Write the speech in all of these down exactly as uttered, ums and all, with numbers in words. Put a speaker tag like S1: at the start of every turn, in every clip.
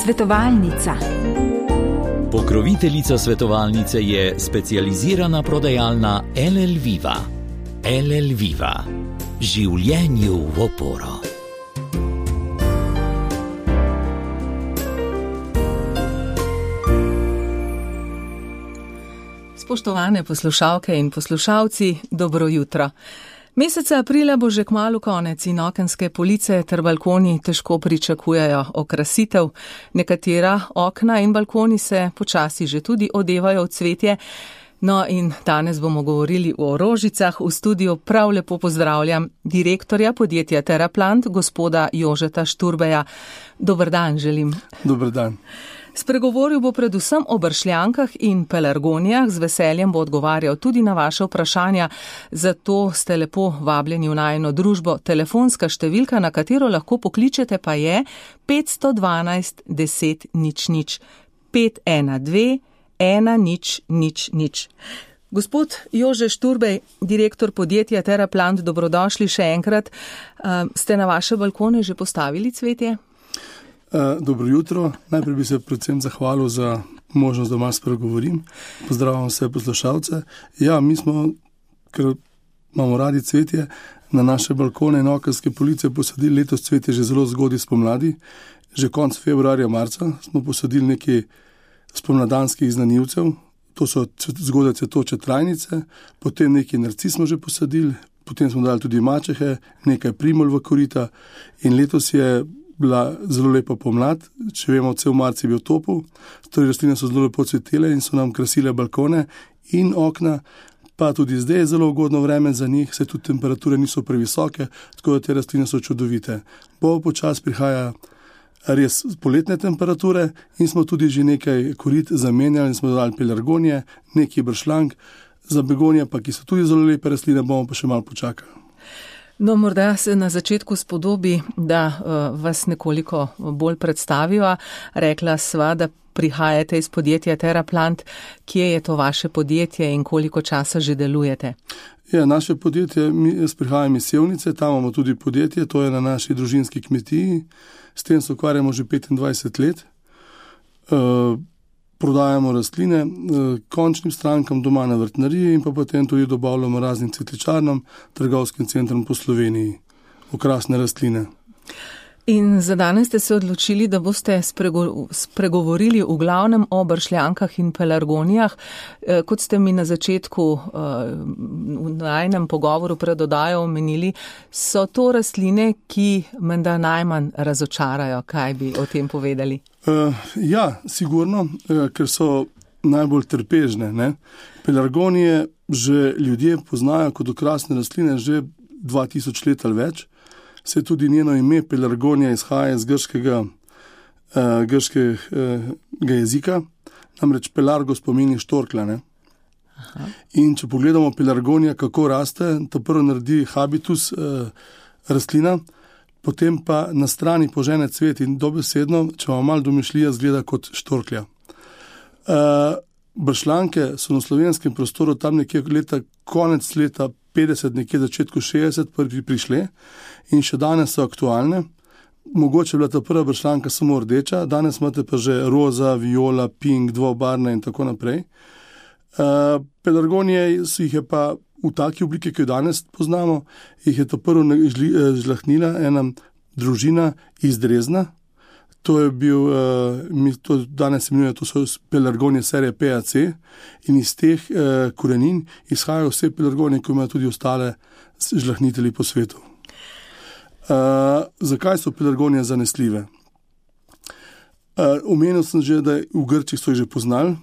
S1: Svetovalnica.
S2: Pokroviteljica svetovalnice je specializirana prodajalna L L Viva. L L Viva. Življenju v oporo.
S3: Spoštovane poslušalke in poslušalci, dobro jutro. Meseca aprila bo že kmalu konec in okenske police ter balkoni težko pričakujejo okrasitev. Nekatera okna in balkoni se počasi že tudi odevajo v cvetje. No in danes bomo govorili o rožicah. V studiu prav lepo pozdravljam direktorja podjetja Teraplant, gospoda Jožeta Šturbeja. Dober dan želim.
S4: Dober dan.
S3: Spregovoril bo predvsem o bršljankah in pelargonijah, z veseljem bo odgovarjal tudi na vaše vprašanja, zato ste lepo vabljeni v najino družbo. Telefonska številka, na katero lahko pokličete, pa je petsto dvanajst deset nič nič, pet ena dve ena nič nič nič. Gospod Jože Šturbej, direktor podjetja Teraplant, dobrodošli še enkrat. Ste na vaše balkone že postavili cvetje?
S4: Dobro jutro. Najprej bi se predvsem zahvalil za možnost, da malo spregovorim. Pozdravljam vse poslušalce. Ja, mi smo, ker imamo radi cvetje, na naše balkone in okenske police posadili letos cvetje že zelo zgodaj spomladi. Že konec februarja, marca smo posadili nekaj spomladanskih znanilcev. To so zgodaj cvetoče trajnice, potem nekaj narcis smo že posadili, potem smo dali tudi mačehe, nekaj primol v korita in letos je bila zelo lepa pomlad, če vemo, cel marc je bil topel, torej rastline so zelo lepo cvetele in so nam krasile balkone in okna, pa tudi zdaj je zelo ugodno vreme za njih, se tudi temperature niso previsoke, tako da te rastline so čudovite. Bo počas prihaja res poletne temperature in smo tudi že nekaj korit zamenjali in smo dodali pelargonije, nekaj bršljank, za begonije pa, ki so tudi zelo lepe rastline, bomo pa še malo počakali.
S3: No, morda se na začetku spodobi, da uh, vas nekoliko bolj predstaviva. Rekla sva, da prihajate iz podjetja Teraplant. Kje je to vaše podjetje in koliko časa že delujete?
S4: Ja, naše podjetje, mi, jaz prihajam iz Sevnice, tam imamo tudi podjetje, to je na naši družinski kmetiji. S tem se ukvarjamo že petindvajset let. Uh, Prodajamo rastline končnim strankam doma na vrtnariji in pa potem tudi dobavljamo raznim cvetličarnom, trgovskim centrom po Sloveniji, okrasne rastline.
S3: In za danes ste se odločili, da boste sprego, spregovorili v glavnem o bršljankah in pelargonijah. Kot ste mi na začetku v najnem pogovoru pred oddajo omenili, so to rastline, ki menda najmanj razočarajo. Kaj bi o tem povedali?
S4: Uh, ja, sigurno, uh, ker so najbolj trpežne. Ne? Pelargonije že ljudje poznajo kot okrasne rastline že dva tisoč let ali več. Se tudi njeno ime pelargonija izhaja iz grškega, uh, grškega jezika, namreč pelargos pomeni štorkla. Ne? In če pogledamo pelargonija, kako raste, to prvo naredi habitus uh, rastlina, potem pa na strani požene cvet in dobesedno, če vam malo domišljija, zgleda kot štorklja. Uh, bršljanke so na slovenskem prostoru tam nekje leta, konec leta petdeset, nekje začetku šestdeset prvi prišle in še danes so aktualne. Mogoče je bila ta prva bršljanka samo rdeča, danes imate pa že roza, viola, pink, dvobarvne in tako naprej. Uh, pelargonije so jih je pa v taki obliki, ki jo danes poznamo, jih je to prvo žlahnila ena družina iz Drezna. To je bil, mi to danes imenuje, to so pelargonije serije P A C in iz teh korenin izhajajo vse pelargonije, ki imajo tudi ostale žlahnitelji po svetu. Uh, zakaj so pelargonije zanesljive? Uh, omenil sem že, da v Grčiji so jih že poznali.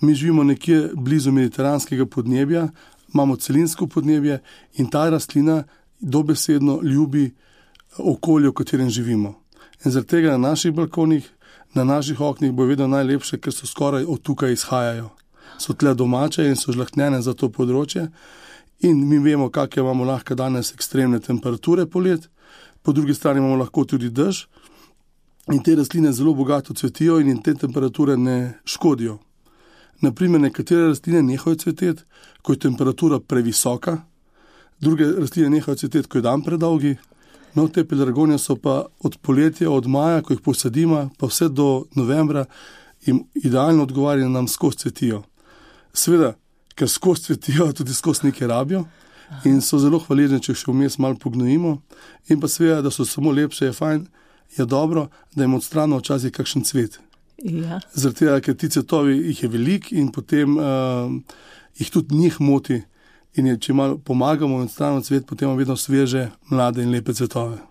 S4: Mi živimo nekje blizu mediteranskega podnebja, imamo celinsko podnebje in ta rastlina dobesedno ljubi okolje, v katerem živimo. In zaradi tega na naših balkonih, na naših oknih bo vedno najlepše, ker so skoraj od tukaj izhajajo. So tle domače in so žlahtnjene za to področje. In mi vemo, kakšne imamo lahko danes ekstremne temperature polet, po drugi strani imamo lahko tudi dež in te rastline zelo bogato cvetijo in jim te temperature ne škodijo. Naprimer, nekatere rastline nehajo cveteti, ko je temperatura previsoka, druge rastline nehajo cveteti, ko je dan predolgi No, te pelargonije so pa od poletja, od maja, ko jih posadimo, pa vse do novembra, jim idealno odgovarjajo, nam skozi cvetijo. Seveda, ker skozi cvetijo, tudi skozi nekaj rabijo in so zelo hvaležni, če še vmes malo pognojimo. In pa seveda, da so samo lepše, je fajn, je dobro, da jim odstranimo včasih kakšen cvet.
S3: Ja.
S4: Zaradi tega, ker ti cvetovi jih je veliko in potem uh, jih tudi njih moti. In je, če malo pomagamo in odstranimo cvet, potem imamo vedno sveže, mlade in lepe cvetove.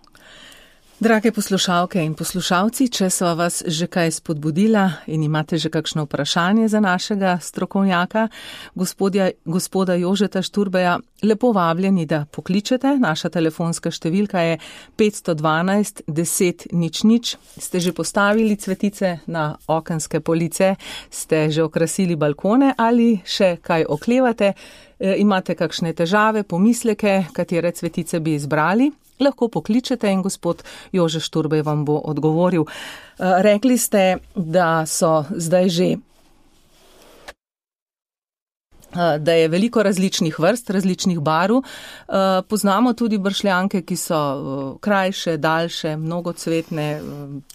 S3: Drage poslušalke in poslušalci, če sva vas že kaj spodbudila in imate že kakšno vprašanje za našega strokovnjaka, gospodja, gospoda Jožeta Šturbeja, lepo vabljeni, da pokličete. Naša telefonska številka je petsto dvanajst deset nič nič. Ste že postavili cvetice na okenske police, ste že okrasili balkone ali še kaj oklevate, e, imate kakšne težave, pomisleke, katere cvetice bi izbrali? Lahko pokličete in gospod Jože Šturbej vam bo odgovoril. Rekli ste, da so zdaj že, da je veliko različnih vrst, različnih barv. Poznamo tudi bršljanke, ki so krajše, daljše, mnogocvetne.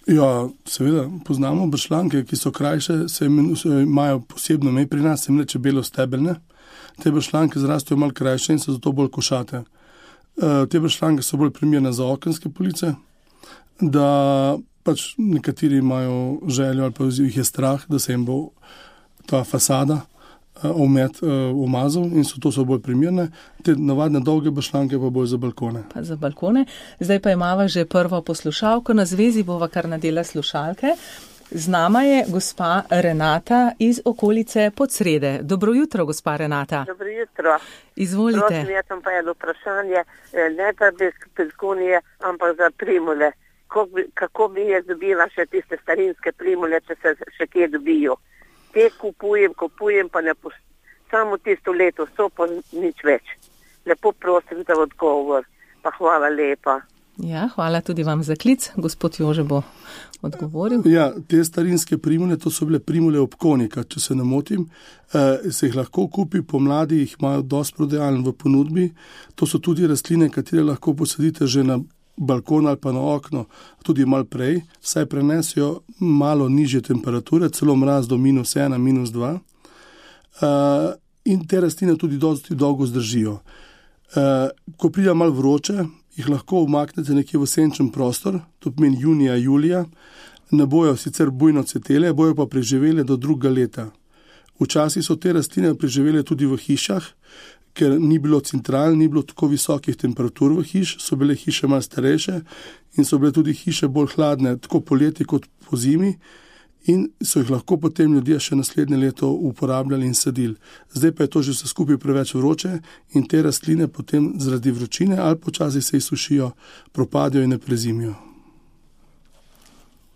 S4: Ja, seveda, poznamo bršljanke, ki so krajše, se imajo posebno ime pri nas, se jim reče belostebeljne. Te bršljanke zrastejo malo krajše in so zato bolj košate. Te bršljanke so bolj primerne za okenske police, da pač nekateri imajo željo ali pa jih je strah, da se jim bo ta fasada omet umazal in so to so bolj primerne. Te navadne dolge bršljanke pa bolj za balkone.
S3: Pa za balkone. Zdaj pa imava že prvo poslušalko, na zvezi bova kar nadela slušalke. Z nama je gospa Renata iz okolice Podsrede. Dobro jutro, gospa Renata.
S1: Dobro jutro.
S3: Izvolite.
S1: Prosim, jaz sem pa eno vprašanje, ne pa bez pelargonije, ampak za primule. Kako bi, kako bi jaz dobila še tiste starinske primule, če se še kje dobijo? Te kupujem, kupujem, pa ne pos... samo tisto leto so, pa nič več. Lepo prosim za odgovor. Pa hvala lepa.
S3: Ja, hvala tudi vam za klic. Gospod Jože bo odgovoril.
S4: Ja, te starinske primule, to so bile primule obkonika, če se ne motim. E, se jih lahko kupi, pomladi jih imajo dosti prodajaln v ponudbi. To so tudi rastline, katere lahko posadite že na balkon ali pa na okno, tudi malo prej, saj prenesijo malo nižje temperature, celo mraz do minus ena, minus dva. E, in te rastline tudi dosti dolgo zdržijo. E, ko pride malo vroče, jih lahko umaknete nekje v senčen prostor, to pomeni junija, julija, ne bojo sicer bujno cvetele, bojo pa preživele do drugega leta. Včasih so te rastline preživele tudi v hišah, ker ni bilo central, ni bilo tako visokih temperatur v hiš, so bile hiše malo starejše in so bile tudi hiše bolj hladne, tako poleti kot po zimi, in so jih lahko potem ljudje še naslednje leto uporabljali in sadili. Zdaj pa je to že vse skupaj preveč vroče in te rastline potem zaradi vročine ali počasi se izsušijo, propadajo in ne prezimijo.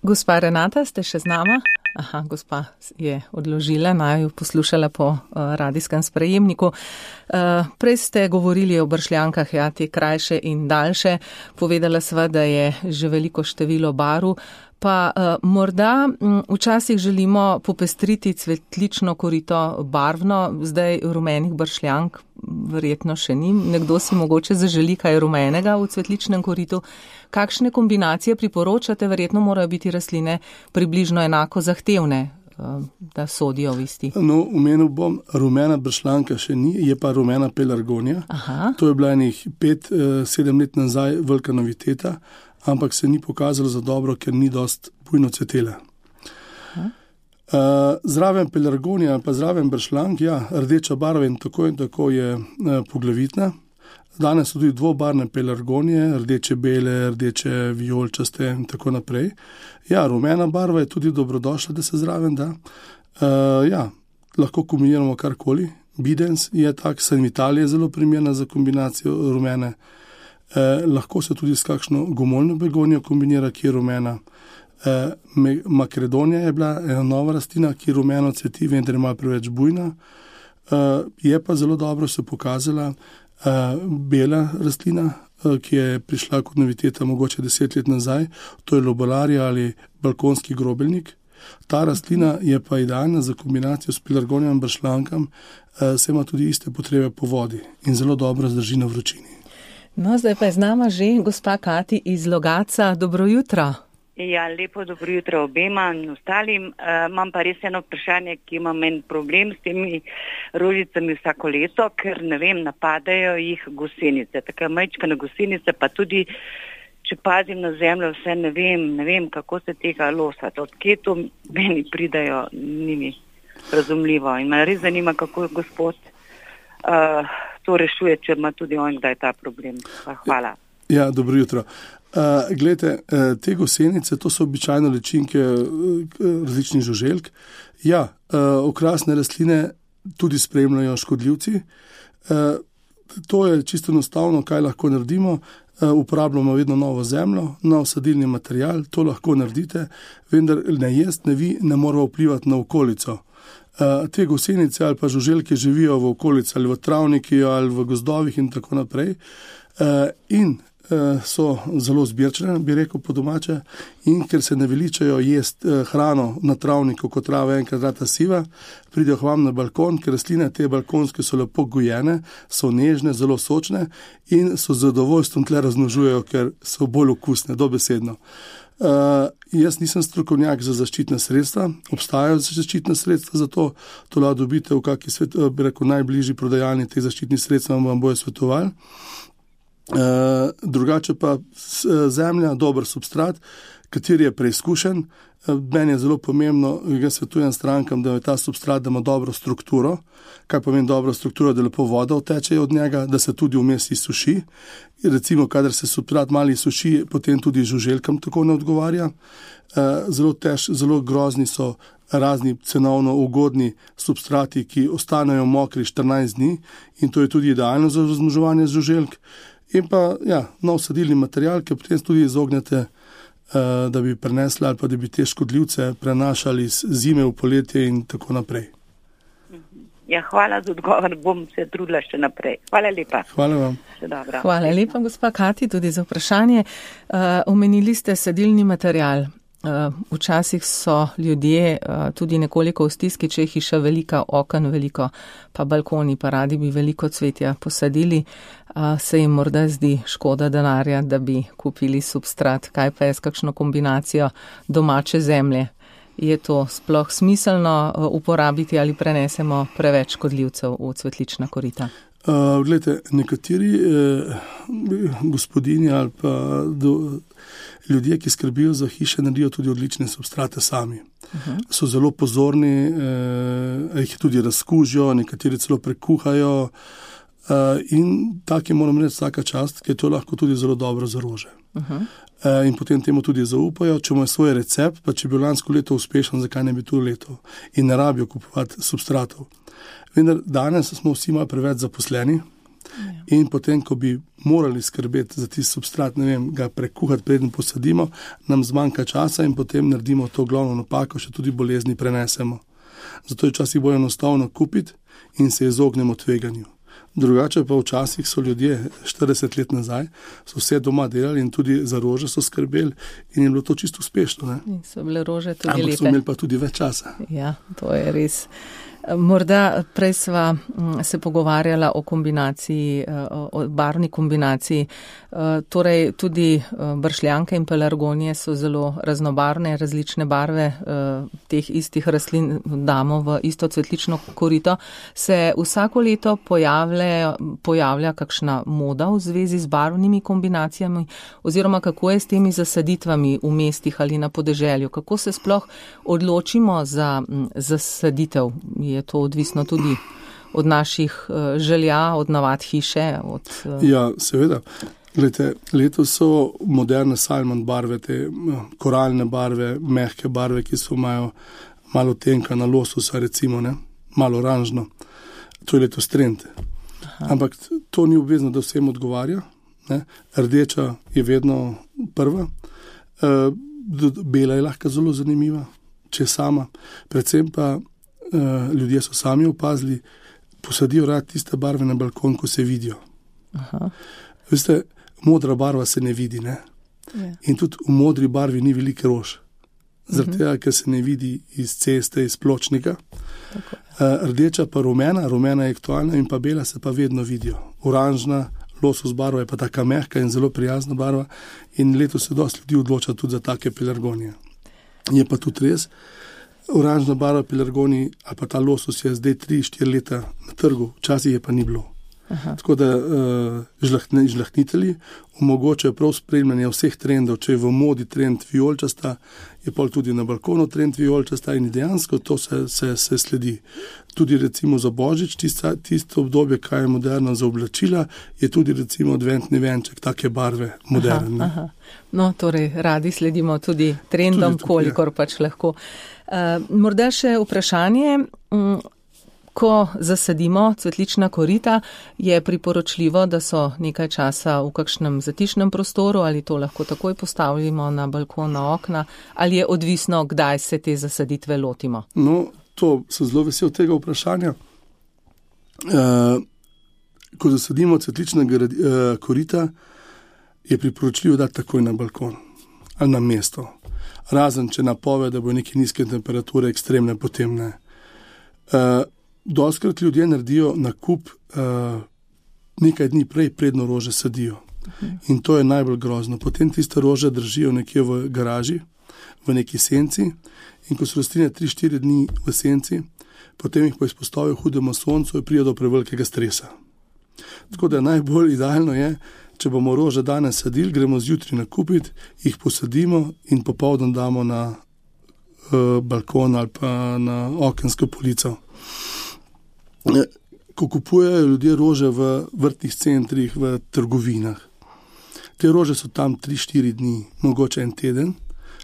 S3: Gospa Renata, ste še z nama? Aha, gospa je odložila, naj jo poslušala po uh, radijskem sprejemniku. Uh, prej ste govorili o bršljankah, ja, te krajše in daljše. Povedala sva, da je že veliko število barv. Pa uh, morda m, včasih želimo popestriti cvetlično korito barvno, zdaj rumenih bršljank verjetno še ni. Nekdo si mogoče zaželi kaj rumenega v cvetličnem koritu. Kakšne kombinacije priporočate? Verjetno morajo biti rastline približno enako zahtevne, uh, da sodijo v isti.
S4: No, omenil bom, rumena bršljanka še ni, je pa rumena pelargonija. Aha. To je bila enih pet, sedem let nazaj velika noviteta, ampak se ni pokazalo za dobro, ker ni dost bujno cvetela. Uh, zraven pelargonija ali pa zraven bršljank, ja, rdeča barva in tako in tako je uh, poglavitna. Danes so tudi dvobarvne pelargonije, rdeče bele, rdeče vijolčaste in tako naprej. Ja, rumena barva je tudi dobrodošla, da se zraven da. Uh, ja, lahko kombiniramo karkoli. Bidens je tak, Sanvitalija je zelo primerna za kombinacijo rumene. Eh, lahko se tudi s kakšno gomoljno begonijo kombinira, ki je rumena. Eh, Makredonija je bila ena nova rastlina, ki rumeno cveti, vendar je malo preveč bujna. Eh, je pa zelo dobro se pokazala eh, bela rastlina, eh, ki je prišla kot noviteta mogoče deset let nazaj, to je lobalarija ali balkonski grobeljnik. Ta rastlina je pa idealna za kombinacijo s pelargonijem in bršljankam, eh, se ima tudi iste potrebe po vodi in zelo dobro zdrži na vročini.
S3: No, zdaj pa je z nama že gospa Kati iz Logatca. Dobro jutro.
S5: Ja, lepo dobro jutro obema in ostalim. Uh, imam pa res eno vprašanje, ki imam en problem s temi rožicami vsako leto, ker ne vem, napadajo jih gosenice. Tako majčkane gosenice, pa tudi, če pazim na zemljo, vse ne vem, ne vem, kako se tega losati. Od kje to meni pridajo, ni mi razumljivo. In me res zanima, kako gospod uh, to rešuje, če ima tudi on kdaj ta problem. Pa hvala.
S4: Ja, dobro jutro. Uh, glede, uh, te gosenice, to so običajno ličinke uh, različnih žuželk. Ja, uh, okrasne rastline tudi spremljajo škodljivci. Uh, to je čisto enostavno, kaj lahko naredimo. Uh, uporabljamo vedno novo zemljo, nov sadilni material, to lahko naredite, vendar ne jaz, ne vi, ne moramo vplivati na okolico. Uh, te gosenice ali pa žuželke živijo v okolici ali v travniki ali v gozdovih in tako naprej. Uh, in so zelo zbirčne, bi rekel po domače, in ker se ne veličajo jesti hrano na travniku, kot trava enkrat rata siva, pridejo k vam na balkon, ker rastline te balkonske so lepo gojene, so nežne, zelo sočne in so z zadovoljstvom tle razmnožujejo, ker so bolj okusne, dobesedno. Uh, jaz nisem strokovnjak za zaščitna sredstva, obstajajo zaščitna sredstva za to, to lahko dobite v kakšni svet, bi rekel, najbližji prodajalni teh zaščitnih sredstev, vam bojo svetovali. Uh, drugače pa zemlja, dober substrat, kateri je preizkušen. Uh, meni je zelo pomembno, jaz svetujem strankam, da je ta substrat, da ima dobro strukturo. Kaj pomeni dobro strukturo? Da lepo voda oteče od njega, da se tudi vmes izsuši. Recimo, kadar se substrat malo izsuši, potem tudi žuželkam tako ne odgovarja. Uh, zelo tež, zelo grozni so razni cenovno ugodni substrati, ki ostanejo mokri štirinajst dni in to je tudi idealno za razmnoževanje žuželk. In pa, ja, nov sadilni material, ki potem tudi izognete, uh, da bi prenesli ali pa da bi te škodljivce prenašali z zime v poletje in tako naprej.
S5: Ja, hvala za odgovor, bom se trudila še naprej. Hvala lepa.
S4: Hvala vam.
S3: Hvala lepa, gospa Kati, tudi za vprašanje. Uh, omenili ste sadilni material. Uh, včasih so ljudje uh, tudi nekoliko v stiski, če je hiša velika, okn veliko, pa balkoni, pa radi bi veliko cvetja posadili, uh, se jim morda zdi škoda denarja, da bi kupili substrat. Kaj pa je s kakšno kombinacijo domače zemlje? Je to sploh smiselno uh, uporabiti ali prenesemo preveč škodljivcev v cvetlična korita?
S4: Uh, glede, nekateri eh, gospodinji ali pa do, ljudje, ki skrbijo za hiše, naredijo tudi odlične substrate sami. Uh-huh. So zelo pozorni, eh, jih tudi razkužijo, nekateri celo prekuhajo eh, in taki moram reči vsaka čast, ker je to lahko tudi zelo dobro za rože. Uh-huh. Eh, in potem temu tudi zaupajo, če imajo svoj recept, pa če bi lansko leto uspešen, zakaj ne bi to leto in ne rabijo kupovati substratov. Vendar danes smo vsi malo preveč zaposleni ja. In potem, ko bi morali skrbeti za tisti substrat, ne vem, ga prekuhati, preden posadimo, nam zmanjka časa in potem naredimo to glavno napako, še tudi bolezni prenesemo. Zato je včasih bolj enostavno kupiti in se izognemo tveganju. Drugače pa včasih so ljudje štirideset let nazaj, so vse doma delali in tudi za rože so skrbeli in je bilo to čisto uspešno. Ne?
S3: In so bile rože tudi
S4: Ampak
S3: lepe.
S4: Ampak so imeli pa tudi več časa.
S3: Ja, to je res. Morda prej sva se pogovarjala o kombinaciji, o barvni kombinaciji. Torej tudi bršljanke in pelargonije so zelo raznobarvne, različne barve teh istih rastlin damo v isto cvetlično korito. Se vsako leto pojavlja, pojavlja kakšna moda v zvezi z barvnimi kombinacijami oziroma kako je s temi zasaditvami v mestih ali na podeželju? Kako se sploh odločimo za zasaditev? Je to odvisno tudi od naših želja, od navad hiše? Od,
S4: ja, seveda. Glede, letos so moderne salmon barve, te koralne barve, mehke barve, ki so imajo malo tenka na lososa, recimo, ne? Malo oranžno. To je letos trend. Aha. Ampak to ni obvezno, da vsem odgovarja. Ne? Rdeča je vedno prva. E, bela je lahko zelo zanimiva, če sama. Predvsem pa Uh, ljudje so sami opazili, posadijo rad tiste barve na balkon, ko se vidijo. Aha. Veste, modra barva se ne vidi, ne? Yeah. In tudi v modri barvi ni velike rož. Zaradi tega, ker se ne vidi iz ceste, iz pločnika. Uh, rdeča pa rumena, rumena je aktualna in pa bela se pa vedno vidijo. Oranžna, losos barva je pa taka mehka in zelo prijazna barva in letos se dosti ljudi odloča tudi za take pelargonije. Je pa tudi res, oranžna barva pelargonij ali pa ta losos je zdaj tri štiri leta na trgu, včasih je pa ni bilo. Aha. Tako da uh, žlahtni, žlahtnitelji omogočajo prav spremljanje vseh trendov, če je v modi trend vijolčasta, je pol tudi na balkonu trend vijolčasta in dejansko to se, se, se sledi. Tudi recimo za Božič, tista, tisto obdobje, kaj je moderno za oblačila, je tudi recimo adventni venček, take barve moderne.
S3: Aha, aha. No, torej radi sledimo tudi trendom, tudi, kolikor ja. pač lahko. Uh, morda še vprašanje. Um, Ko zasadimo cvetlična korita, je priporočljivo, da so nekaj časa v kakšnem zatišnem prostoru ali to lahko takoj postavimo na balkon, na okna, ali je odvisno, kdaj se te zasaditve lotimo?
S4: No, to sem zelo vesel tega vprašanja. E, ko zasadimo cvetlična e, korita, je priporočljivo dati takoj na balkon ali na mesto. Razen, če napove, da bo neke nizke temperature ekstremne, potem ne. E, Doskrat ljudje naredijo nakup uh, nekaj dni prej, predno rože sadijo. Uh-huh. In to je najbolj grozno. Potem tiste rože držijo nekje v garaži, v neki senci in ko so rastline tri štiri dni v senci, potem jih pa izpostavijo hudemu soncu in pride do prevelikega stresa. Tako da najbolj idealno je, če bomo rože danes sadili, gremo zjutraj nakupiti, jih posadimo in popoldan damo na uh, balkon ali pa na okensko polico. Ko kupujejo ljudje rože v vrtnih centrih, v trgovinah, te rože so tam tri štiri dni, mogoče en teden,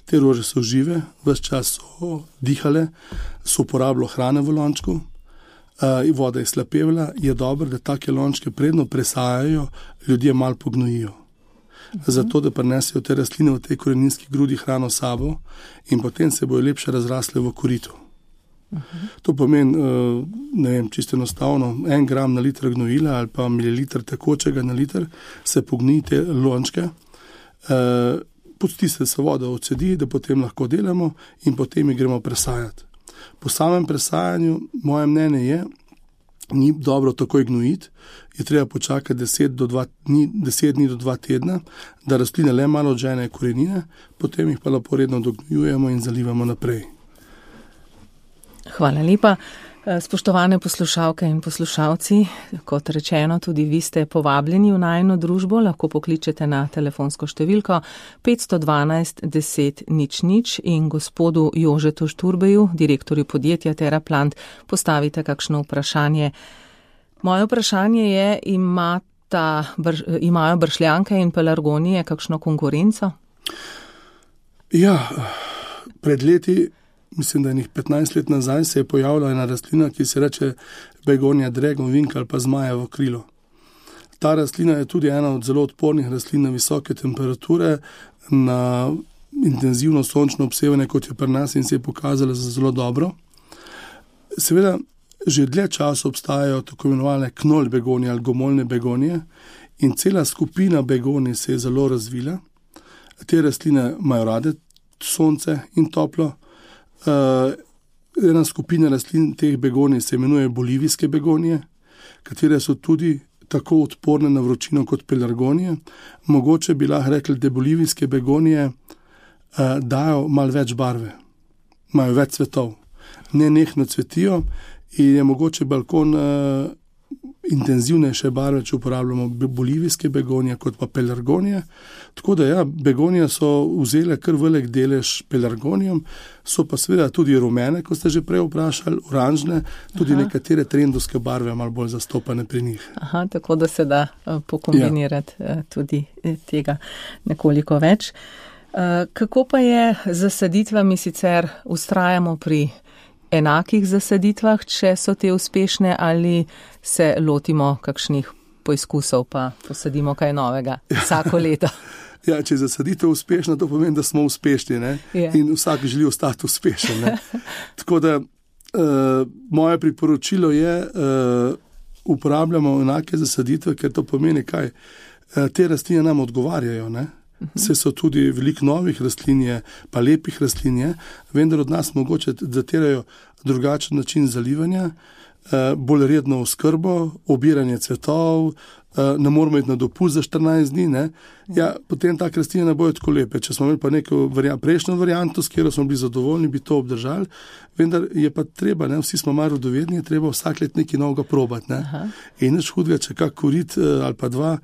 S4: te rože so žive, ves čas so dihale, so uporabljali hrane v lončku, uh, voda je slapevila, je dobro, da take lončke predno presajajo, ljudje malo pognojijo. Uh-huh. Zato, da prinesejo te rastline v tej koreninski grudi hrano sabo in potem se bojo lepše razrasle v koritu. Uh-huh. To pomeni, ne vem, čisto enostavno, en gram na liter gnojila ali pa mililiter tekočega na liter, se pogni te lončke, eh, pusti se se voda odsedi, da potem lahko delamo in potem jih gremo presajati. Po samem presajanju, moje mnenje je, ni dobro takoj gnojiti, je treba počakati deset dni do dva tedna, da rastline le malo odžene korenine, potem jih pa lepo redno dognjujemo in zalivamo naprej.
S3: Hvala lepa. Spoštovane poslušalke in poslušalci, kot rečeno, tudi vi ste povabljeni v najino družbo, lahko pokličete na telefonsko številko petsto dvanajst deset nič nič in gospodu Jožetu Šturbeju, direktorju podjetja Teraplant, postavite kakšno vprašanje. Moje vprašanje je, imata, br, imajo bršljanke in pelargonije kakšno konkurenco?
S4: Ja, pred leti, mislim, da je njih petnajst let nazaj, se je pojavila ena rastlina, ki se reče Begonia dragonwing ali pa zmajevo krilo. Ta rastlina je tudi ena od zelo odpornih rastlin na visoke temperature, na intenzivno sončno obsevanje, kot je pri nas in se je pokazala za zelo dobro. Seveda, že dlje časa obstajajo tako imenovane knolj begonije ali gomoljne begonije in cela skupina begonij se je zelo razvila. Te rastline imajo rade sonce in toplo. Uh, ena skupina rastlin teh begonij se imenuje bolivijske begonije, katere so tudi tako odporne na vročino kot pelargonije. Mogoče bi lahko rekli, da bolivijske begonije uh, dajo malo več barve, imajo več cvetov, ne nehno cvetijo in je mogoče balkon uh, intenzivnejše barve, če uporabljamo bolivijske begonije kot pa pelargonije. Tako da ja, begonije so vzele kar velik delež pelargonijom, so pa seveda tudi rumene, kot ste že prej vprašali, oranžne, tudi Aha. nekatere trendovske barve malo bolj zastopane pri njih.
S3: Aha, tako da se da uh, pokombinirati ja. uh, tudi tega nekoliko več. Uh, kako pa je z zasaditvami, sicer ustrajamo pri enakih zasaditvah, če so te uspešne, ali se lotimo kakšnih poizkusov pa posadimo kaj novega vsako leto?
S4: Ja, če je zasaditev uspešna, to pomeni, da smo uspešni, ne? Yeah. In vsak želi ostati uspešen. Ne? Tako da uh, moje priporočilo je, uh, uporabljamo enake zasaditve, ker to pomeni kaj? Uh, te rastline nam odgovarjajo, ne? Vse so tudi veliko novih rastlin, pa lepih rastlin, vendar od nas mogoče zatirajo drugačen način zalivanja, bolj redno oskrbo, obiranje cvetov, ne moramo iti na dopust za štirinajst dni, ne. Ja, potem ta rastlina ne bojo tako lepe. Če smo imeli pa neko variant, prejšnjo varianto, s katero smo bili zadovoljni, bi to obdržali, vendar je pa treba, ne, vsi smo malo rodovedni, je treba vsak let nekaj novega probati, ne. In nič hudega, če kak korit ali pa dva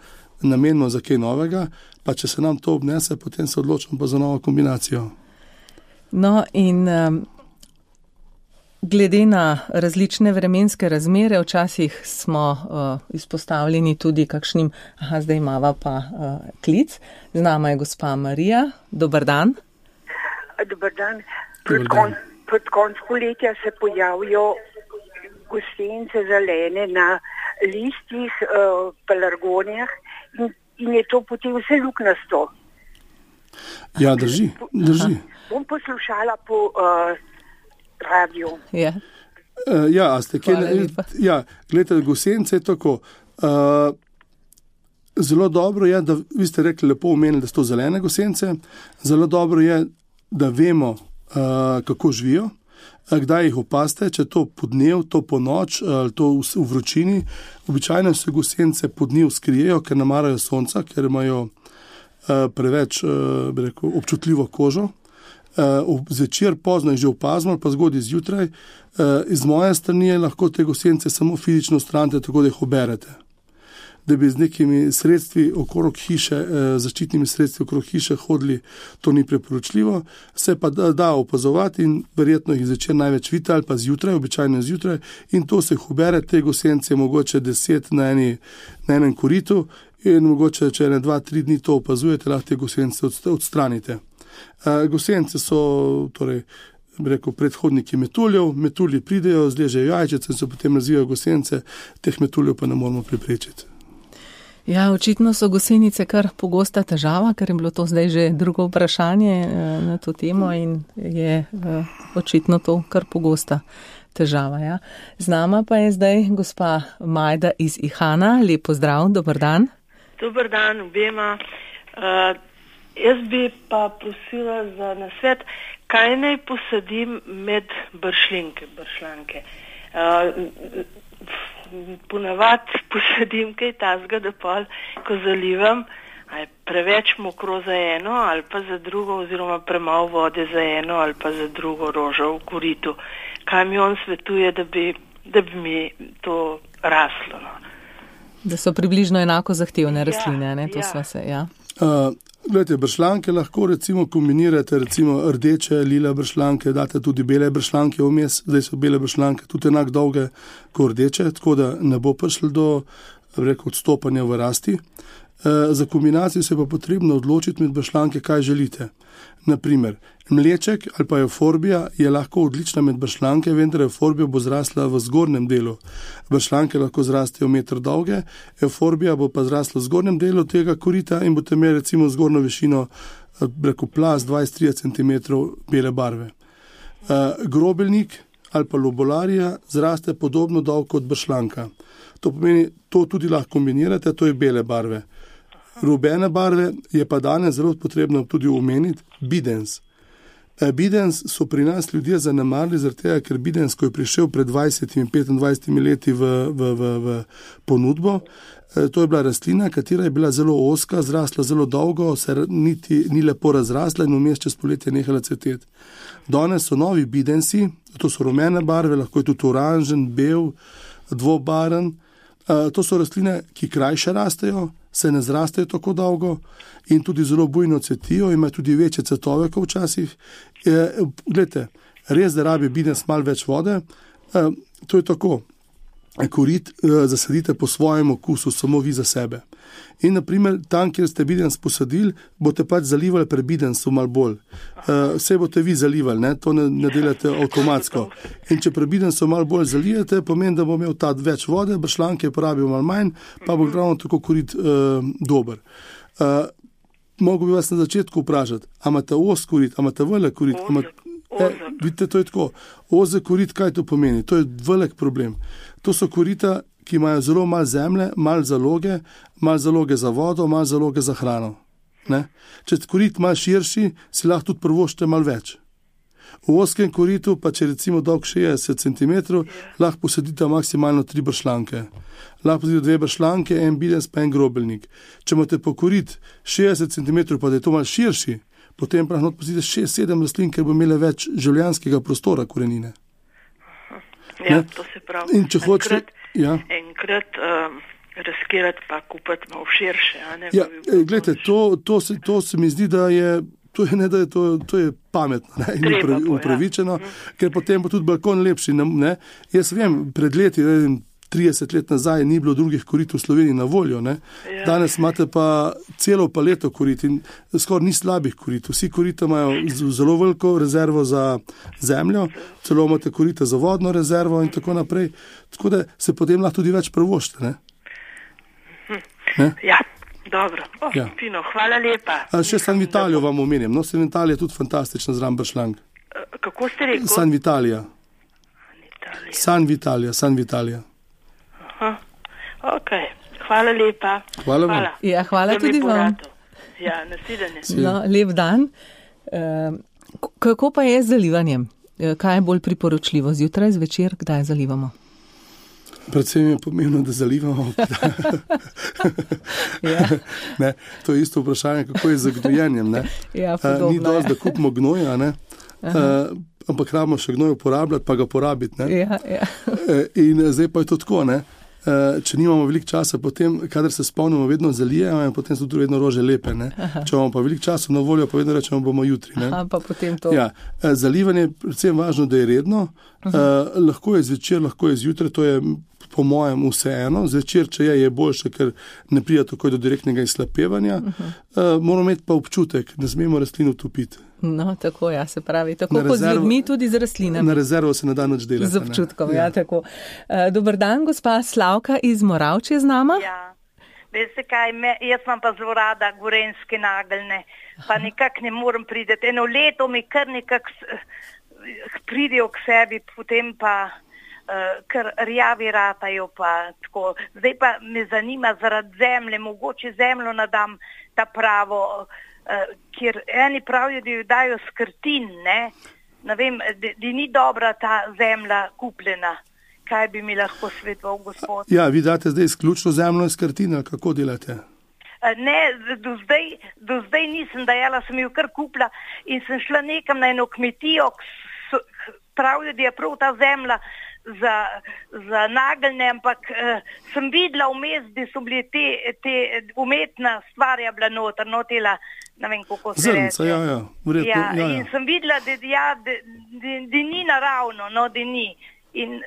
S4: namenimo za kaj novega, pa če se nam to obnese, potem se odločimo pa za novo kombinacijo.
S3: No in um, glede na različne vremenske razmere, včasih smo uh, izpostavljeni tudi kakšnim, aha, zdaj imava pa uh, klic. Z nama je gospa Marija. Dobar dan.
S6: Dobar dan. Pred, kon, pred konc poletja se pojavijo gosenice zelene na listih, uh, pelargonijah in, in je to potem vse luknasto.
S4: Ja, drži, drži.
S6: Bom poslušala po uh, radio.
S3: Ja,
S4: uh, ja, a ste kje? Ja, gledajte, gosenice je tako. Uh, zelo dobro je, da vi ste rekli lepo omenili, da so to zelene gosenice. Zelo dobro je, da vemo, uh, kako živijo. Kdaj jih opazite, če to po dnev, to po noč, ali to v, v vročini. Običajno se gosenice po dnev skrijejo, ker ne marajo sonca, ker imajo uh, preveč uh, bi rekel, občutljivo kožo. Uh, zvečer pozno je že opazno, pa zgodaj zjutraj. Uh, iz moje strani lahko te gosenice samo fizično odstranite, tako da jih oberete. Da bi z nekimi sredstvi okrog hiše, eh, zaščitnimi sredstvi okrog hiše hodili, to ni preporočljivo. Se pa da, da opazovati in verjetno jih zvečer največ vidite ali pa zjutraj, običajno zjutraj, in to se jih ubere, te gosenice mogoče deset na, eni, na enem koritu in mogoče, če ne dva, tri dni to opazujete, lahko te gosenice odstranite. Eh, gosenice so torej, rekel, predhodniki metuljev, metulji pridejo, zležejo jajčice in se potem razvijajo gosenice, teh metuljev pa ne moramo preprečiti.
S3: Ja, očitno so gosenice kar pogosta težava, ker je bilo to zdaj že drugo vprašanje na to temo in je očitno to kar pogosta težava. Ja. Z nama pa je zdaj gospa Majda iz Ihana. Lep pozdrav, dober dan.
S7: Dober dan obema. Uh, jaz bi pa prosila za nasvet, kaj naj posadim med bršljenke, bršljanke. Uh, ponavad posadim kaj tazga, da pol, ko zalivam, ali preveč mokro za eno, ali pa za drugo, oziroma premalo vode za eno, ali pa za drugo rožo v koritu. Kaj mi on svetuje, da bi, da bi mi to raslo? No?
S3: Da so približno enako zahtevne rastline, ne? To ja. Sva se, ja.
S4: Uh, gledajte, bršljanke lahko recimo kombinirate, recimo rdeče, lila bršljanke, date tudi bele bršljanke vmes, zdaj so bele bršljanke tudi enak dolge kot rdeče, tako da ne bo prišlo do, rekel, odstopanja v rasti. Uh, za kombinacijo se pa potrebno odločiti med bršljanke, kaj želite. Naprimer, mleček ali pa euforbija je lahko odlična med bršljanke, vendar euforbija bo zrasla v zgornjem delu. Bršljanke lahko zrastejo meter dolge, euforbija bo pa zrasla v zgornjem delu tega korita in boste imeli recimo zgornjo višino, rekel, plas dvajset do trideset centimetrov bele barve. Uh, grobeljnik ali pa lobolarija zraste podobno dolgo kot bršljanka. To pomeni, to tudi lahko kombinirate, to je bele barve. Rubene barve je pa danes zelo potrebno tudi omeniti bidens. Bidens so pri nas ljudje zanemarili, zaradi tega, ker bidens, ko je prišel pred dvajsetimi, petindvajsetimi leti v, v, v, v ponudbo, to je bila rastlina, katera je bila zelo ozka, zrasla zelo dolgo, se niti ni lepo razrasla in vmes čez poletje nehala cveteti. Danes so novi bidensi, to so rumene barve, lahko je tudi oranžen, bel, dvobaren. To so rastline, ki krajše rastejo, se ne zrastejo tako dolgo in tudi zelo bujno cvetijo, imajo tudi večje cvetove kot včasih. Glejte, res, da rabi bidens malo več vode, to je tako. Korit zasadite po svojem okusu, samo vi za sebe. In naprimer, tam, kjer ste bidens posadili, boste pač zalivali pre bidensu malo bolj. Vse boste vi zalivali, ne? To ne, ne delate avtomatsko. In če pre bidensu malo bolj zalijete, pomeni, da bo imel ta več vode, bršljanke porabil malo manj, pa bo ravno tako korit uh, dober. Uh, Mogu bi vas na začetku vprašati, a imate os korit, a imate velik korit? E, vidite, to je tako. Ozek korit, kaj to pomeni? To je velik problem. To so korita, ki imajo zelo malo zemlje, malo zaloge, malo zaloge za vodo, malo zaloge za hrano. Ne? Če korit malo širši, si lahko tudi prvoščite malo več. V ozkem koritu, pa če recimo dolg šestdeset centimetrov, lahko posadite maksimalno tri bršljanke. Lahko posadite dve bršljanke, en bidenc pa en grobeljnik. Če imate po korit šestdeset centimetrov, pa da je to malo širši, potem pa lahko posadite šest sedem rastlin, ker bo imele več življenjskega prostora korenine.
S7: Ja, ne? To se pravi.
S4: In če hočete, ja.
S7: Enkrat um, razkirati pa kupiti malo širše. A ne,
S4: ja, bi gledajte, to, to, se, to se mi zdi, da je, to je, ne, da je, to, to je pametno ne, in upra, upravičeno, ja. Ker potem bo tudi balkon lepši. Ne. Jaz vem, pred leti, ne, trideset let nazaj ni bilo drugih korit v Sloveniji na voljo. Ne. Ja. Danes imate pa celo paleto korit in skoraj ni slabih korit. Vsi korita imajo zelo veliko rezervo za zemljo, celo imate korita za vodno rezervo in tako naprej. Tako da se potem lahko tudi več prvošite. Ne.
S7: Ne? Ja, dobro. Oh, ja. Fino, hvala lepa.
S4: A še San Vitalijo vam omenim. No, San Vitalija je tudi fantastična zraven bršljank.
S7: Kako ste rekel?
S4: San Vitalija. San Vitalija, San Vitalija.
S7: Aha, ok. Hvala lepa.
S4: Hvala vam.
S3: Hvala, ja, hvala tudi vam.
S7: Ja, nasvidenje.
S3: No, lep dan. Uh, kako pa je z zalivanjem? Kaj je bolj priporočljivo? Zjutraj, zvečer, kdaj zalivamo?
S4: Predvsem je pomembno, da zalivamo. Ja. Ne, to je isto vprašanje, kako je z gnojenjem. Ne?
S3: Ja, podobno,
S4: uh, ni dosti, da kupimo gnoja, ne? Uh, ampak rabimo še gnoj uporabljati, pa ga porabiti. Ne?
S3: Ja, ja.
S4: In zdaj pa je to tako, ne? Če nimamo veliko časa, potem, kadar se spomnimo, vedno zalijemo in potem so tudi vedno rože lepe. Ne? Če imamo pa veliko časa na voljo, pa vedno rečemo, bomo jutri. Ne?
S3: Aha, pa potem to.
S4: Ja, zalivanje je predvsem važno, da je redno. Uh, lahko je zvečer, lahko je zjutraj, to je po mojem vseeno. Zvečer, če je, je boljše, ker ne prija takoj do direktnega izhlapevanja. Uh, moramo imeti pa občutek, ne smemo rastlin utopiti.
S3: No, tako, ja, se pravi. Tako kot z ljudmi, tudi z rastlinami.
S4: Na rezervo se ne da nič delati.
S3: Z občutkom, ja, ja tako. Uh, dober dan, gospa Slavka iz Moravče z nama.
S8: Ja, veste kaj, me, jaz imam pa zelo rada gorenjske nageljne, pa nekako ne morem prideti. Eno leto mi kar nekako pridejo k sebi, potem pa uh, kar rjavi ratajo pa tako. Zdaj pa me zanima zaradi zemlje, mogoče zemljo nadam ta pravo, Uh, kjer eni pravijo, da jo dajo skrtin, ne, ne vem, da, da ni dobra ta zemlja kupljena. Kaj bi mi lahko svetoval, gospod?
S4: Ja, vi date zdaj izključno zemljo iz skrtina, kako delate?
S8: Uh, ne, do zdaj, do zdaj nisem dajala, sem jo kar kupila in sem šla nekam na eno kmetijo, pravijo, da je prav ta zemlja za, za nageljne, ampak uh, sem videla vmes, da so bili te, te umetna stvar je bila noter, no tela, ne vem, kako se reče.
S4: Zrnca, ja, ja. Vredno,
S8: ja,
S4: ja, ja.
S8: In sem videla, da, ja, da, da, da ni naravno, no, da ni. In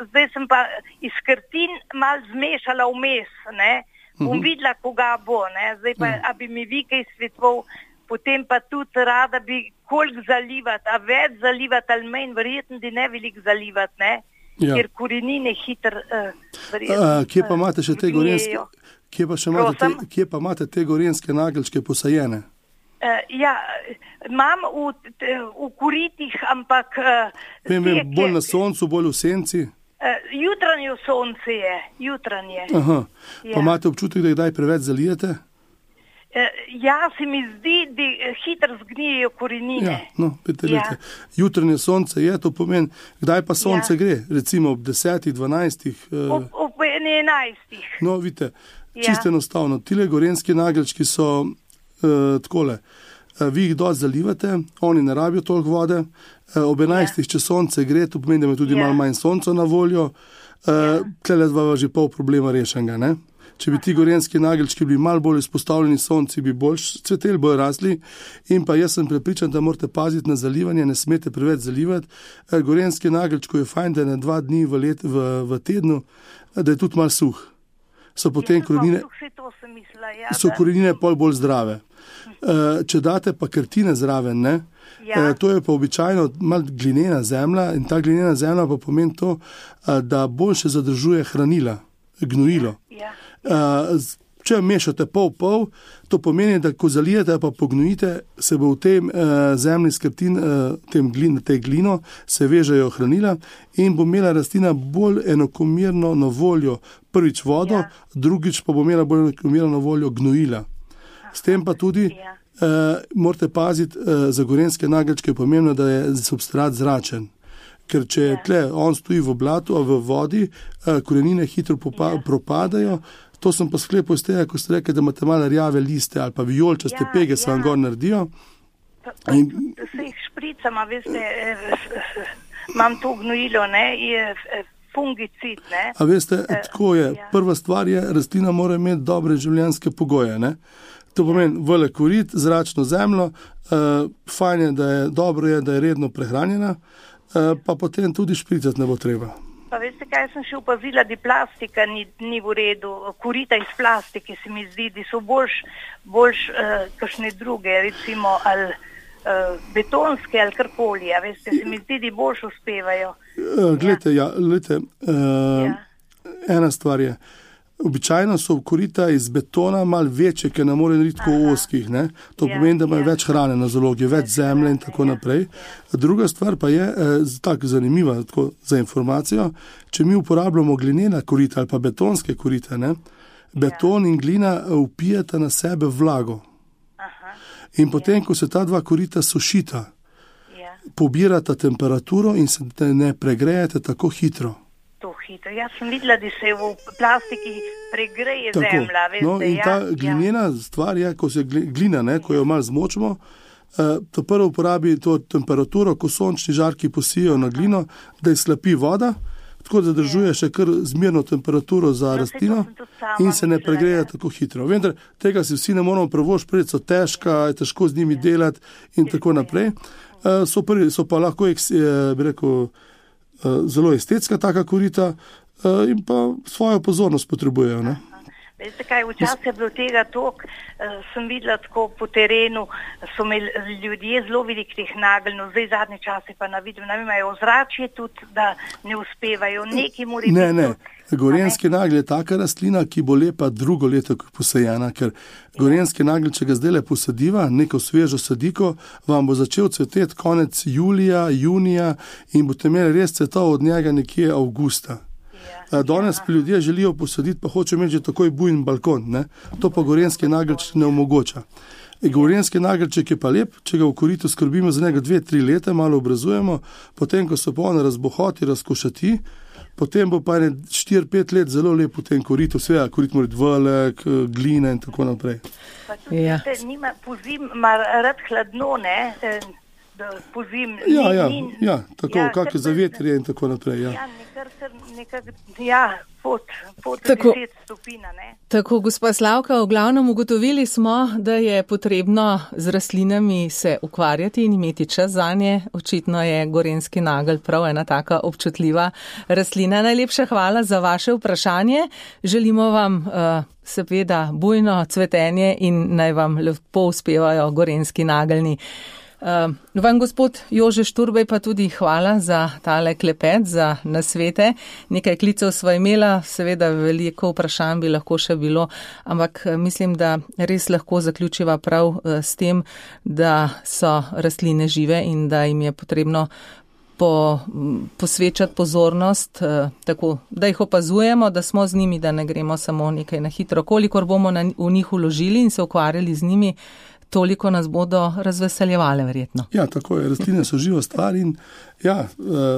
S8: zdaj sem pa iz skrtin malo zmešala vmes, ne, bom uh-huh. videla, koga bo, ne, zdaj pa, uh-huh. a bi mi vi kaj svetoval, potem pa tudi rada bi koliko zalivati, a več zalivati ali manj, verjetno, da ne veliko zalivati, ne. Ja. Ker korenine hitro uh, verjetno.
S4: A, kje pa imate še te gorenjske, kje pa, še imate te, kje pa imate te gorenjske nageljčke posajene?
S8: Uh, ja, imam v, v koritih, ampak... Uh,
S4: vem, vem, bolj na soncu, bolj v senci?
S8: Uh, jutranje sonce je, jutranje.
S4: Aha,
S8: ja.
S4: Pa imate občutek, da kdaj preveč zalijete?
S8: Uh, ja, se mi zdi, da hitro zgnijejo korenine.
S4: Ja, no, pete ja. Jutranje sonce je, to pomeni, kdaj pa sonce ja. Gre? Recimo ob desetih, dvanajstih? Uh,
S8: ob, ob enajstih.
S4: No, vidite, čisto ja. Enostavno. Tile gorenjski nageljčki so uh, takole. Uh, vi jih dosti zalivate, oni ne rabijo toliko vode. Uh, ob enajstih, ja. Če sonce gre, to pomeni, da ima tudi ja. Malo manj sonca na voljo. Uh, ja. Tlele dva že pol problema rešenega, ne? Če bi ti gorenjski nageljčki bili malo bolj izpostavljeni sonci, bi bolj cveteli, bolj rasli. In pa jaz sem prepričan, da morate paziti na zalivanje, ne smete preveč zalivati. Gorenjski nageljčko je fajn, da je na dva dni v, let, v, v tednu, da je tudi malo suh. So potem korenine, so korenine pol bolj zdrave. Če date pa krtine zraven, ne, ja. To je pa običajno malo glinena zemlja in ta glinena zemlja pa pomeni to, da boljše zadržuje hranila, gnojilo. Ja. Uh, če mešate pol-pol, to pomeni, da ko zalijete pa pognojite, se bo v tem uh, zemlji skrtin, uh, tem glin, tej glino, se vežejo hranila in bo imela rastlina bolj enakomerno na voljo prvič vodo, ja. Drugič pa bo imela bolj enakomerno na voljo gnojila. S tem pa tudi, uh, morate paziti, uh, za gorenjske nageljčke je pomembno, da je substrat zračen. Ker če ja. tle on stoji v blatu, a v vodi, uh, korenine hitro popa- ja. propadajo. To sem pa sklepal iz tega, ko ste rekli, da imate malo rjave liste ali pa vijolčaste ja, pege, se ja. vam gor naredijo.
S8: Pa, pa, In... Se jih špricama, veste, imam to gnojilo, ne, je fungicid, ne.
S4: A veste, e, tako je. Ja. Prva stvar je, rastlina mora imeti dobre življenjske pogoje, ne. To pomeni velik korit, zračno zemljo, uh, fajn je, da je dobro je, da je redno prehranjena, uh, pa potem tudi špricati ne bo treba.
S8: Pa veste, kaj sem še opazila, da plastika ni, ni v redu, korita iz plastike se mi zdi, da so boljš, boljš uh, kakšne druge, recimo, ali uh, betonske, ali karkoli, a veste, se mi zdi, da boljš uspevajo.
S4: Uh, glejte, ja, glejte, uh, ja. ena stvar je, običajno so korita iz betona malo večje, ker ne more narediti tako oskih, ne? To ja, pomeni, da imajo ja. več hrane na zalogi, več zemlje in tako ja, naprej. Ja. Druga stvar pa je, eh, tako zanimiva tako, za informacijo, če mi uporabljamo glinena korita ali pa betonske korite, ne? Beton ja. in glina vpijata na sebe vlago. Aha. In potem, ja. ko se ta dva korita sušita, ja. pobirata temperaturo in se ne pregrejete tako hitro.
S8: To hitro. Jaz sem videla, da se v plastiki pregreje tako. zemlja. Veste,
S4: no, in ta
S8: ja,
S4: glinena ja. stvar je, ko se glina, ne, ko jo malo zmočimo, uh, to prvo uporabi to temperaturo, ko sončni žarki posijo na glino, da je slapi voda, tako da držuje še kar zmerno temperaturo za no, rastlino in se ne pregreje ja. tako hitro. Vendar tega si vsi ne moramo prevošiti, so težka, je težko z njimi ja. delati in Težko, tako naprej. Uh, so, prvi, so pa lahko, bi rekel, zelo estetska taka korita in pa svojo pozornost potrebujejo. Ne?
S8: Veste kaj, včasih je bilo tega tok, sem videla tako po terenu, so imeli ljudje zelo velik teh nageljnov, zdaj zadnje čase pa na vidim, nam imajo ozračje tudi, da ne uspevajo, neki mora
S4: Ne, ne, gorenjski nagelj je taka rastlina, ki bo lepa drugo leto posajena, ker gorenjski nagelj, če ga zdaj le posadiva, neko svežo sadiko, vam bo začel cveteti konec julija, junija in boste imeli res cvetov od njega nekje avgusta. Danes pa ljudje želijo posaditi, pa hoče imeti že takoj bujen balkon, ne? To pa gorenjski nageljček ne omogoča. Gorenjski nageljček je pa lep, če ga v koritu skrbimo za njega dve, tri leta, malo obrazujemo, potem, ko so pa on razbohoti, razkošati, potem bo pa ne štiri, pet let zelo lep v tem koritu, vse, korit mora biti velik, glina in tako naprej.
S8: Pa tudi, ja. te, nima pozim, ima rad hladno, ne? Pozim,
S4: ja, ja,
S8: ni,
S4: ja, tako,
S8: ja,
S4: kakšne zavetrje in tako naprej, ja.
S8: Ja, nekar, nekar, ja, pod, pod deset stopina, ne.
S3: Tako, gospa Slavka, v glavnem ugotovili smo, da je potrebno z rastlinami se ukvarjati in imeti čas zanje. Očitno je gorenjski nagelj prav ena taka občutljiva rastlina. Najlepša hvala za vaše vprašanje. Želimo vam uh, seveda bujno cvetenje in naj vam lepo uspevajo gorenjski nageljni. Uh, vam, gospod Jože Šturbej, pa tudi hvala za tale klepet, za nasvete. Nekaj klicev sva imela, seveda veliko vprašanj bi lahko še bilo, ampak mislim, da res lahko zaključiva prav uh, s tem, da so rastline žive in da jim je potrebno po, posvečati pozornost, uh, tako, da jih opazujemo, da smo z njimi, da ne gremo samo nekaj na hitro. Kolikor bomo na, v njih vložili in se ukvarjali z njimi, toliko nas bodo razveseljevale verjetno.
S4: Ja, tako je. Rastline so živa stvar in ja,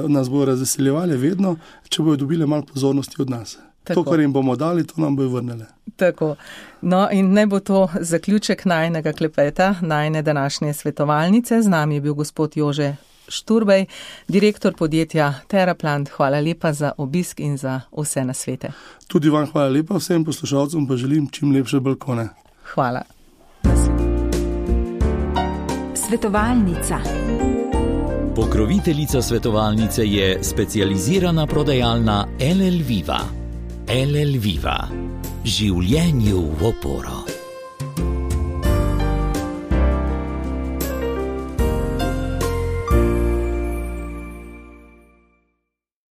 S4: nas bodo razveseljevale vedno, če bodo dobile malo pozornosti od nas. Tako. To, kar jim bomo dali, to nam bojo vrnele.
S3: Tako. No in naj bo to zaključek najnega klepeta, najne današnje svetovalnice. Z nami je bil gospod Jože Šturbej, direktor podjetja Teraplant. Hvala lepa za obisk in za vse nasvete.
S4: Tudi vam hvala lepa, vsem poslušalcem pa želim čim lepše balkone.
S3: Hvala.
S2: Svetovalnica. Pokroviteljica svetovalnice je specializirana prodajalna L L Viva. L L Viva. Življenju v oporo.